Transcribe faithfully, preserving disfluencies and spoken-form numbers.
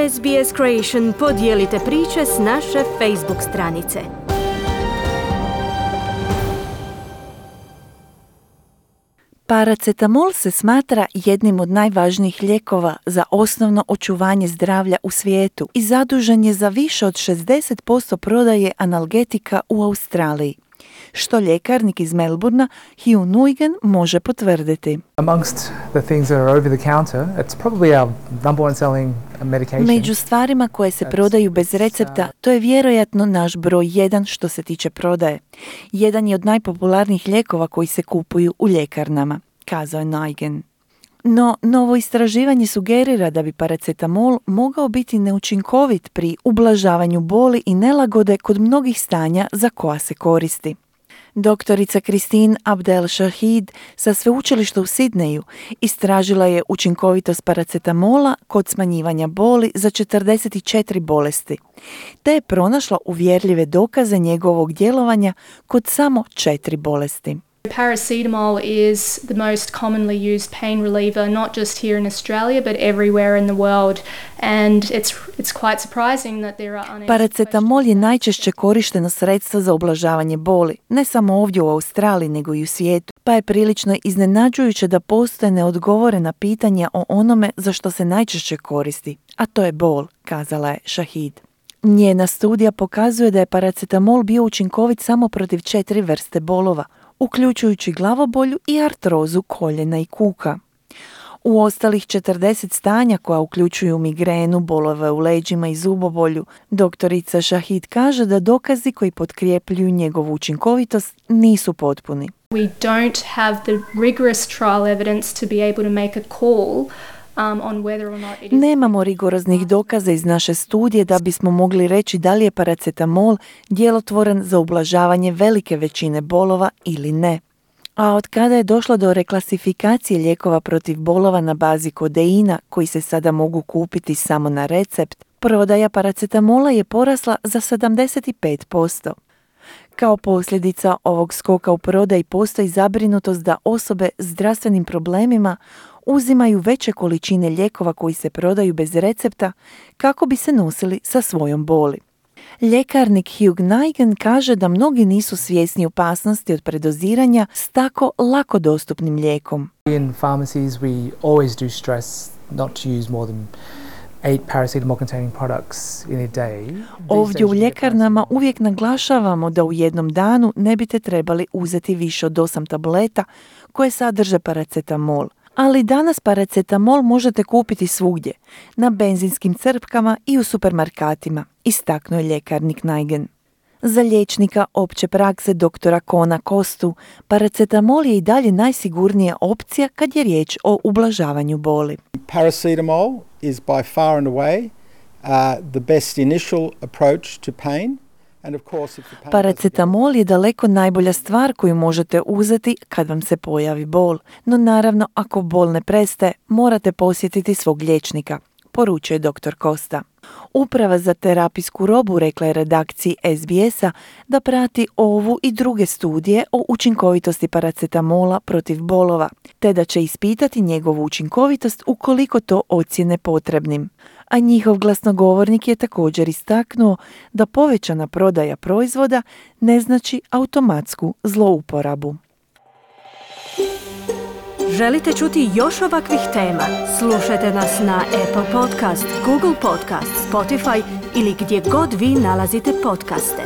S B S Creation podijelite priče s naše Facebook stranice. Paracetamol se smatra jednim od najvažnijih lijekova za osnovno očuvanje zdravlja u svijetu i zadužen je za više od šezdeset posto prodaje analgetika u Australiji, što ljekarnik iz Melbournea Hugh Nguyen može potvrditi. Amongst the things that are over the counter, it's probably our number one selling medication. Među stvarima koje se prodaju bez recepta, to je vjerojatno naš broj jedan što se tiče prodaje. Jedan je od najpopularnijih lijekova koji se kupuju u ljekarnama, kazao je Nguyen. No, novo istraživanje sugerira da bi paracetamol mogao biti neučinkovit pri ublažavanju boli i nelagode kod mnogih stanja za koja se koristi. Doktorica Christine Abdel-Shahid sa sveučilišta u Sidneju istražila je učinkovitost paracetamola kod smanjivanja boli za četrdeset četiri bolesti, te je pronašla uvjerljive dokaze njegovog djelovanja kod samo četiri bolesti. Paracetamol is the most commonly used pain reliever, not just here in Australia, but everywhere in the world. And it's it's quite surprising that there are unanswered Paracetamol je najčešće korišteno sredstvo za ublažavanje boli, ne samo ovdje u Australiji, nego i u svijetu. Pa je prilično iznenađujuće da postoje neodgovorena pitanja o onome za što se najčešće koristi, a to je bol, kazala je Shahid. Njena studija pokazuje da je paracetamol bio učinkovit samo protiv četiri vrste bolova, uključujući glavobolju i artrozu koljena i kuka. U ostalih četrdeset stanja koja uključuju migrenu, bolove u leđima i zubobolju, doktorica Shahid kaže da dokazi koji potkrijepljuju njegovu učinkovitost nisu potpuni. We don't have the rigorous trial evidence to be able to make a call um, on whether or not it is... Nemamo rigoroznih dokaza iz naše studije da bismo mogli reći da li je paracetamol djelotvoran za ublažavanje velike većine bolova ili ne. A od kada je došlo do reklasifikacije lijekova protiv bolova na bazi kodeina, koji se sada mogu kupiti samo na recept, prodaja paracetamola je porasla za sedamdeset pet posto. Kao posljedica ovog skoka u prodaji postoji zabrinutost da osobe s zdravstvenim problemima uzimaju veće količine lijekova koji se prodaju bez recepta kako bi se nosili sa svojom boli. Ljekarnik Hugh Nguyen kaže da mnogi nisu svjesni opasnosti od predoziranja s tako lako dostupnim lijekom. In pharmacies we always do stress not to use more than eight paracetamol containing products in a day. Ovdje u ljekarnama uvijek naglašavamo da u jednom danu ne biste trebali uzeti više od osam tableta koje sadrže paracetamol. Ali danas paracetamol možete kupiti svugdje, na benzinskim crpkama i u supermarkatima, istaknuo je ljekarnik Nguyen. Za liječnika opće prakse doktora Kona Kostu, paracetamol je i dalje najsigurnija opcija kad je riječ o ublažavanju boli. Paracetamol is by far and away uh, the best initial approach to pain. Paracetamol je daleko najbolja stvar koju možete uzeti kad vam se pojavi bol, no naravno ako bol ne prestaje, morate posjetiti svog liječnika, poručuje doktor Costa. Uprava za terapijsku robu rekla je redakciji S B S-a da prati ovu i druge studije o učinkovitosti paracetamola protiv bolova, te da će ispitati njegovu učinkovitost ukoliko to ocijene potrebnim. A njihov glasnogovornik je također istaknuo da povećana prodaja proizvoda ne znači automatsku zlouporabu. Želite čuti još ovakvih tema? Slušajte nas na Apple Podcast, Google Podcast, Spotify ili gdje god vi nalazite podcaste.